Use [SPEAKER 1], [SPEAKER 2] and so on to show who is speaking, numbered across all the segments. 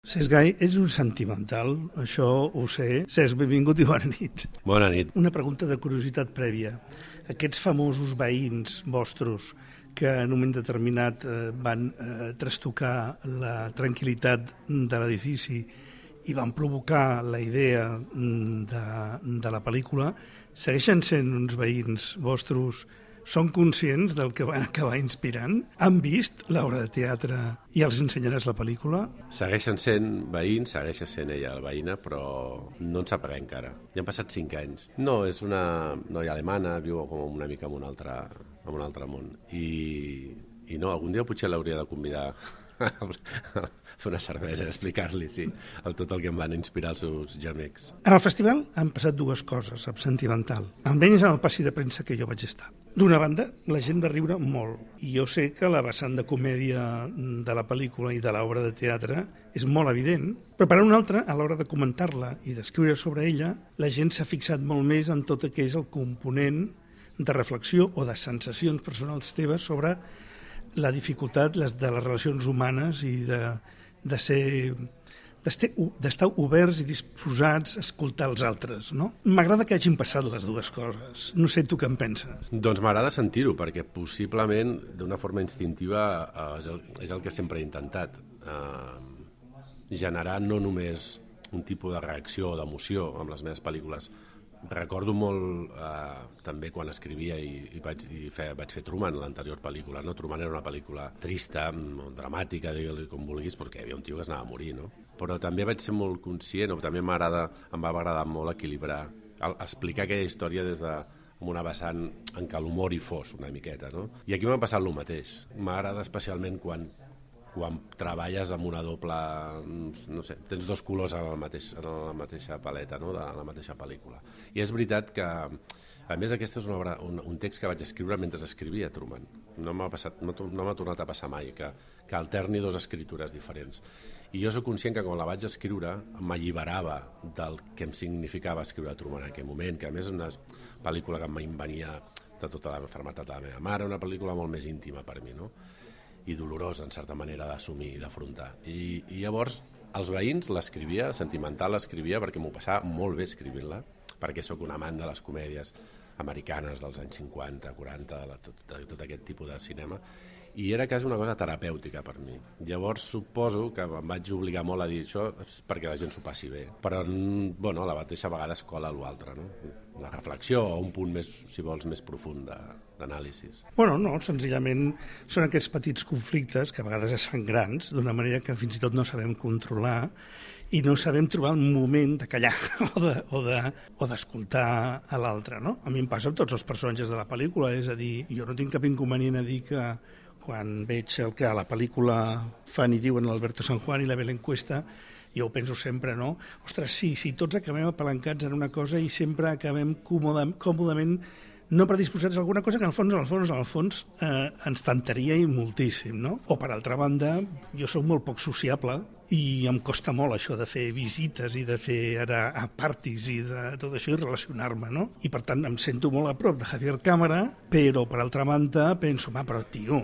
[SPEAKER 1] Cesc Gai, ets un sentimental, això ho sé. Cesc, benvingut i bona nit.
[SPEAKER 2] Bona nit.
[SPEAKER 1] Una pregunta de curiositat prèvia. Aquests famosos veïns vostres que en un moment determinat van trastocar la tranquil·litat de l'edifici i van provocar la idea de la pel·lícula, segueixen sent uns veïns vostres? Són conscients del que van acabar inspirant? Han vist l'obra de teatre i els ensenyaràs la pel·lícula?
[SPEAKER 2] Segueixen sent veïns, segueix sent ella la veïna, però no en sap res encara. Ja han passat 5 anys. No, és una noia alemana, viu com una mica en un altre món. I no, algun dia potser l'hauria de convidar a fer una cervesa i explicar-li, sí, tot el que em van inspirar els seus gemecs.
[SPEAKER 1] En el festival han passat dues coses, amb sentimental. Almenys en el passi de premsa que jo vaig estar. D'una banda, la gent va riure molt, i jo sé que la vessant de comèdia de la pel·lícula i de l'obra de teatre és molt evident, però per una altra, a l'hora de comentar-la i d'escriure sobre ella, la gent s'ha fixat molt més en tot el que és el component de reflexió o de sensacions personals teves sobre la dificultat de les relacions humanes i d'estar oberts i disposats a escoltar els altres, no? M'agrada que hagin passat les dues coses. No sé tu què en penses.
[SPEAKER 2] Doncs m'agrada sentir-ho, perquè possiblement, d'una forma instintiva, és el que sempre he intentat. Generar no només un tipus de reacció o d'emoció amb les meves pel·lícules. Recordo molt també quan escrivia i vaig fer Truman, l'anterior pel·lícula. No? Truman era una pel·lícula trista, dramàtica, digue-li com vulguis, perquè hi havia un tio que es anava a morir, no? Però també vaig ser molt conscient, o també em va agradar molt equilibrar, explicar aquella història des amb una vessant en què l'humor hi fos una miqueta, no? I aquí m'ha passat el mateix. M'agrada especialment quan treballes amb una doble, no sé, tens dos colors en la mateixa paleta, no? De la mateixa pel·lícula. I és veritat que, a més, aquesta és una obra, un text que vaig escriure mentre escrivia Truman. No m'ha tornat a passar mai, que alterni dues escritures diferents. I jo soc conscient que quan la vaig escriure m'alliberava del que em significava escriure Truman en aquell moment, que a més és una pel·lícula que em venia de tota la malaltia de la meva mare, una pel·lícula molt més íntima per mi, no? I dolorosa, en certa manera, d'assumir i d'afrontar. I llavors, els veïns l'escrivia, sentimental l'escrivia, perquè m'ho passava molt bé escrivint-la, perquè sóc un amant de les comèdies americanes dels anys 50, 40, de tot aquest tipus de cinema, i era quasi una cosa terapèutica per mi. Llavors suposo que em vaig obligar molt a dir això perquè la gent s'ho passi bé, però bueno, a la mateixa vegada es cola l'altre, no? La reflexió o un punt més, si vols, més profund d'anàlisis.
[SPEAKER 1] Bueno, no, senzillament són aquests petits conflictes que a vegades es fan grans, d'una manera que fins i tot no sabem controlar i no sabem trobar un moment de callar o d'escoltar a l'altre, no? A mi em passa amb tots els personatges de la pel·lícula, és a dir, jo no tinc cap inconvenient a dir que quan veig el que a la pel·lícula fan i diuen l'Alberto San Juan i la Belén Cuesta, jo ho penso sempre, no? Ostres, sí, tots acabem apalancats en una cosa i sempre acabem còmodament no predisposats a alguna cosa que al fons ens tentaria i moltíssim, no? O per altra banda, jo sóc molt poc sociable i em costa molt això de fer visites i de fer a parties i de tot això i relacionar-me, no? I per tant em sento molt a prop de Javier Cámara, però per altra banda penso, però tio,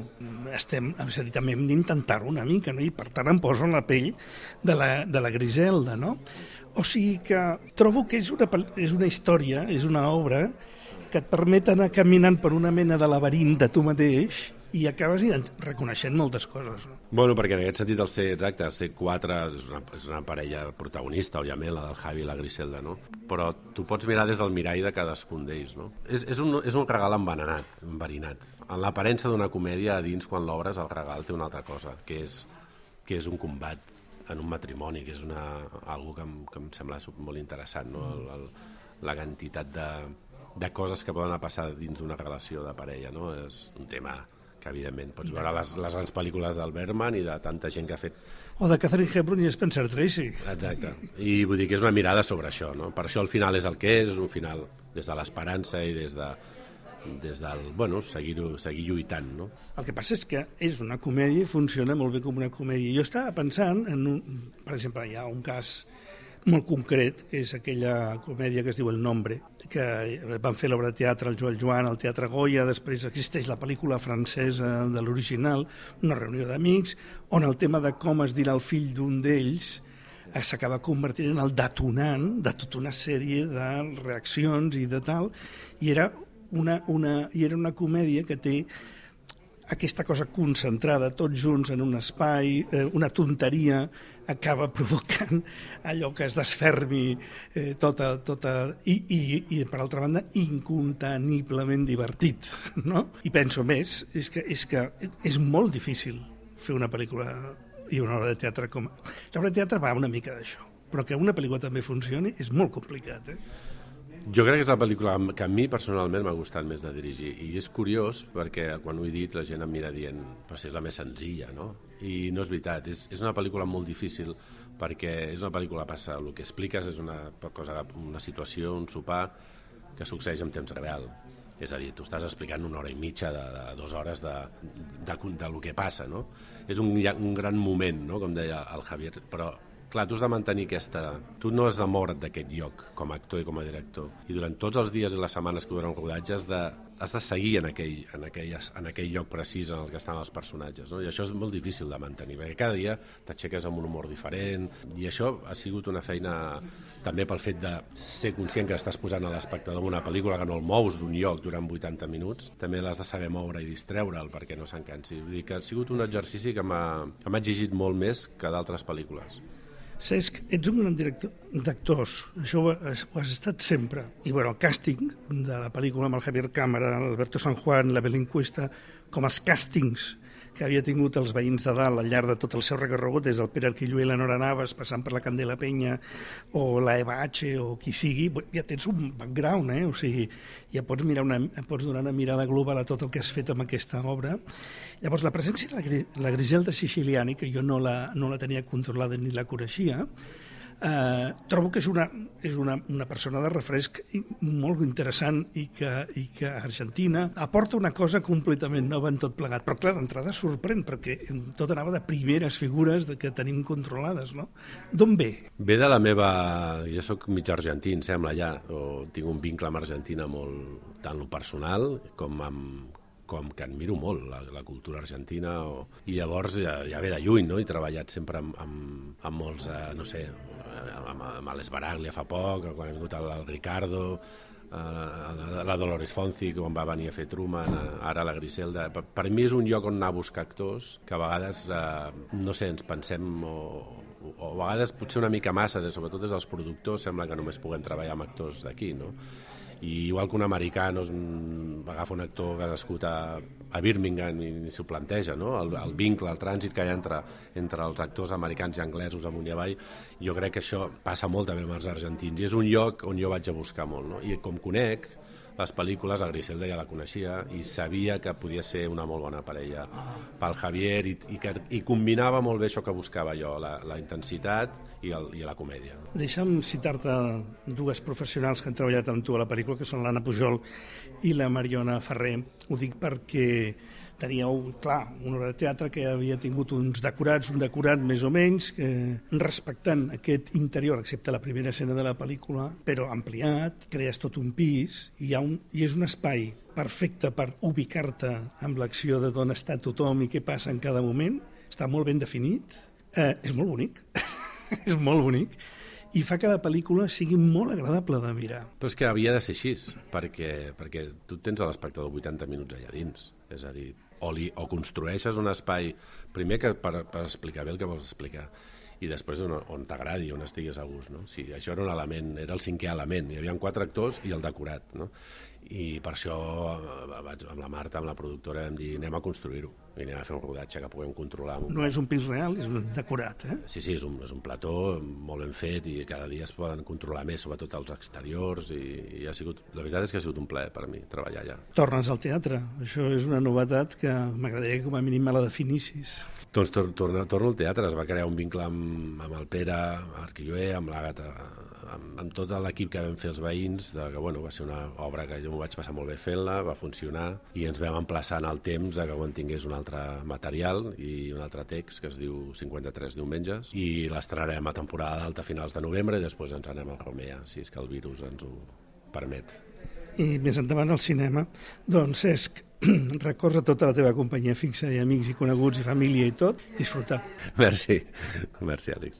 [SPEAKER 1] també hem d'intentar-ho una mica, no? I per tant em poso en la pell de la Griselda, no? O sigui que trobo que és una història, és una obra que et permet anar caminant per una mena de laberint de tu mateix i acabes reconeixent moltes coses, no?
[SPEAKER 2] Bueno, perquè en aquest sentit el C4 és una parella protagonista, òbviament, la del Javi i la Griselda, no? Però tu pots mirar des del mirall de cadascun d'ells, no? És un regal enverinat. En l'aparença d'una comèdia, a dins, quan l'obres, el regal té una altra cosa, que és un combat en un matrimoni, que és algo que em sembla molt interessant, no? La quantitat de coses que poden passar dins d'una relació de parella, no? És un tema que, evidentment, pots veure les grans pel·lícules del Bergman i de tanta gent que ha fet...
[SPEAKER 1] O de Catherine Hepburn i Spencer Tracy.
[SPEAKER 2] Exacte. I vull dir que és una mirada sobre això, no? Per això el final és el que és un final des de l'esperança i des del, bueno, seguir lluitant, no?
[SPEAKER 1] El que passa és que és una comèdia i funciona molt bé com una comèdia. Jo estava pensant per exemple, hi ha un cas molt concret, que és aquella comèdia que es diu El Nombre, que van fer l'obra de teatre al Joel Joan, al Teatre Goya, després existeix la pel·lícula francesa de l'original, Una reunió d'amics, on el tema de com es dirà el fill d'un d'ells s'acaba convertint en el detonant de tota una sèrie de reaccions i de tal, i era una comèdia que té aquesta cosa concentrada, tots junts en un espai, una tonteria acaba provocant allò que es desfermi tota i per altra banda inconteniblement divertit, no? I penso més, és que és molt difícil fer una pel·lícula i una obra de teatre com... L'obra de teatre va una mica d'això, però que una pel·lícula també funcioni és molt complicat,
[SPEAKER 2] Jo crec que és la pel·lícula que a mi personalment m'ha gustat més de dirigir, i és curiós perquè quan ho he dit la gent em mira dient però si és la més senzilla, no? I no és veritat, és una pel·lícula molt difícil perquè és una pel·lícula passa, el que expliques és una situació, un sopar que succeeix en temps real, és a dir, tu estàs explicant 1 hora i mitja de 2 hores del que passa, no? És un gran moment, no? Com deia el Javier, però clar, tu has de mantenir Tu no has de moure't d'aquest lloc com a actor i com a director. I durant tots els dies i les setmanes que duren el rodatge has de seguir en aquell lloc precís en el que estan els personatges, no? I això és molt difícil de mantenir, perquè cada dia t'aixeques amb un humor diferent, i això ha sigut una feina també pel fet de ser conscient que estàs posant a l'espectador una pel·lícula que no el mous d'un lloc durant 80 minuts, també l'has de saber moure i distreure'l perquè no s'encansi. Vull dir que ha sigut un exercici que m'ha exigit molt més que d'altres pel·lícules.
[SPEAKER 1] Cesc, ets un gran director d'actors, això ho has estat sempre. I bueno, el càsting de la pel·lícula amb el Javier Cámara, l'Alberto San Juan, la Belén Cuesta, com els càstings que havia tingut els veïns de dalt al llarg de tot el seu recorregut, des del Pere Arquillo i la Nora Navas, passant per la Candela Penya o la Eva H o qui sigui, ja tens un background, o sigui, ja pots donar una mirada global a tot el que has fet amb aquesta obra. Llavors, la presència de la Griselda Siciliani, que jo no la tenia controlada ni la coneixia, trobo que és una persona de refresc molt interessant i que a Argentina aporta una cosa completament nova en tot plegat, però clar, d'entrada sorprèn perquè tot anava de primeres figures que tenim controlades, no? D'on ve?
[SPEAKER 2] Ve de la meva... Jo sóc mig argentí, em sembla, ja, o tinc un vincle amb Argentina molt, tant lo personal com que admiro molt la cultura argentina, i llavors ja ve de lluny, no? He treballat sempre amb molts, no sé, amb l'Esbaraglia fa poc, quan ha vingut el Ricardo, la Dolores Fonzi, quan va venir a fer Truman, ara la Griselda. Per mi és un lloc on anar a buscar actors que a vegades, no sé, ens pensem, o a vegades potser una mica massa, sobretot des dels productors, sembla que només puguem treballar amb actors d'aquí, no? I igual que un americà agafa un actor que ha nascut a Birmingham i ni s'ho planteja, no? El vincle, el trànsit que hi ha entre els actors americans i anglesos amunt i avall, jo crec que això passa molt també amb els argentins, i és un lloc on jo vaig a buscar molt, no? I com conec les pel·lícules, a Griselda ja la coneixia i sabia que podia ser una molt bona parella pel Javier, i combinava molt bé això que buscava jo, la intensitat i la comèdia.
[SPEAKER 1] Deixa'm citar-te dues professionals que han treballat amb tu a la pel·lícula, que són l'Anna Pujol i la Mariona Ferrer. Ho dic perquè teníeu, clar, una obra de teatre que havia tingut un decorat més o menys, respectant aquest interior, excepte la primera escena de la pel·lícula, però ampliat, crees tot un pis, i és un espai perfecte per ubicar-te amb l'acció de d'on està tothom i què passa en cada moment, està molt ben definit, és molt bonic, és molt bonic, i fa que la pel·lícula sigui molt agradable de mirar.
[SPEAKER 2] Però és que havia de ser així, perquè tu tens a l'espectador 80 minuts allà dins, és a dir, o construeixes un espai, primer que per explicar bé el que vols explicar, i després on t'agradi, on estiguis a gust, no? Sí, això era un element, era el 5è element, hi havia 4 actors i el decorat, no? I per això amb la Marta, amb la productora, vam dir anem a construir-ho i anem a fer un rodatge que puguem controlar.
[SPEAKER 1] No és un pis real, és un decorat,
[SPEAKER 2] Sí, és un plató molt ben fet i cada dia es poden controlar més, sobretot els exteriors, i la veritat és que ha sigut un plaer per a mi treballar allà.
[SPEAKER 1] Tornes al teatre, això és una novetat que m'agradaria que com a mínim me la definissis.
[SPEAKER 2] Doncs torno al teatre, es va crear un vincle amb el Pere Arquilloé, amb l'Àgata, amb tot l'equip que vam fer els veïns, que va ser una obra que jo m'ho vaig passar molt bé fent-la, va funcionar, i ens vam emplaçar en el temps que quan tingués un altre material i un altre text que es diu 53 diumenges, i l'estrenarem a temporada d'alta a finals de novembre i després ens anem a Romea, si és que el virus ens ho permet.
[SPEAKER 1] I més endavant al cinema. Doncs, Cesc, records a tota la teva companyia fixa i amics i coneguts i família i tot, disfrutar.
[SPEAKER 2] Merci, Àlex.